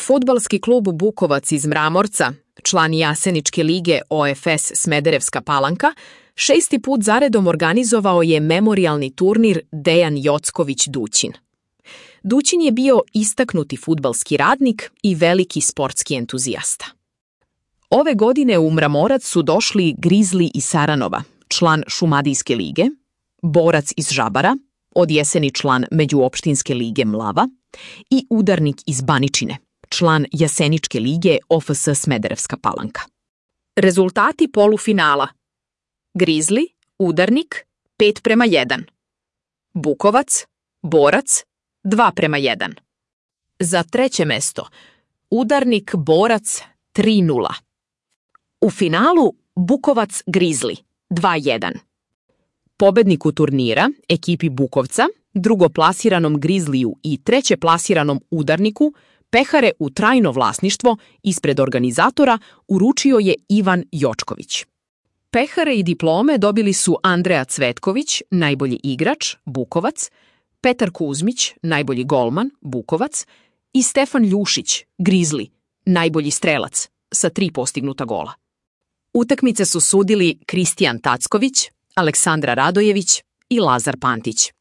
Fudbalski klub Bukovac iz Mramorca, član Jaseničke lige OFS Smederevska Palanka, 6. put zaredom organizovao je memorijalni turnir Dejan Jocković Dućin. Dućin je bio istaknuti fudbalski radnik i veliki sportski entuzijasta. Ove godine u Mramorac su došli Grizli iz Saranova, član Šumadijske lige, Borac iz Žabara, od jeseni član Međuopštinske lige Mlava i Udarnik iz Baničine, član Jaseničke lige OFS Smederevska Palanka. Rezultati polufinala: Grizli, Udarnik 5:1, Bukovac, Borac 2:1. Za treće mesto Udarnik Borac 3:0. U finalu Bukovac Grizli 2:1. Pobedniku turnira, ekipi Bukovca, drugoplasiranom Grizliju i trećeplasiranom Udarniku, pehare u trajno vlasništvo ispred organizatora uručio je Ivan Jočković. Pehare i diplome dobili su Andreja Cvetković, najbolji igrač, Bukovac, Petar Kuzmić, najbolji golman, Bukovac, i Stefan Ljušić, Grizli, najbolji strelac, sa 3 postignuta gola. Utakmice su sudili Kristijan Tacković, Aleksandra Radojević i Lazar Pantić.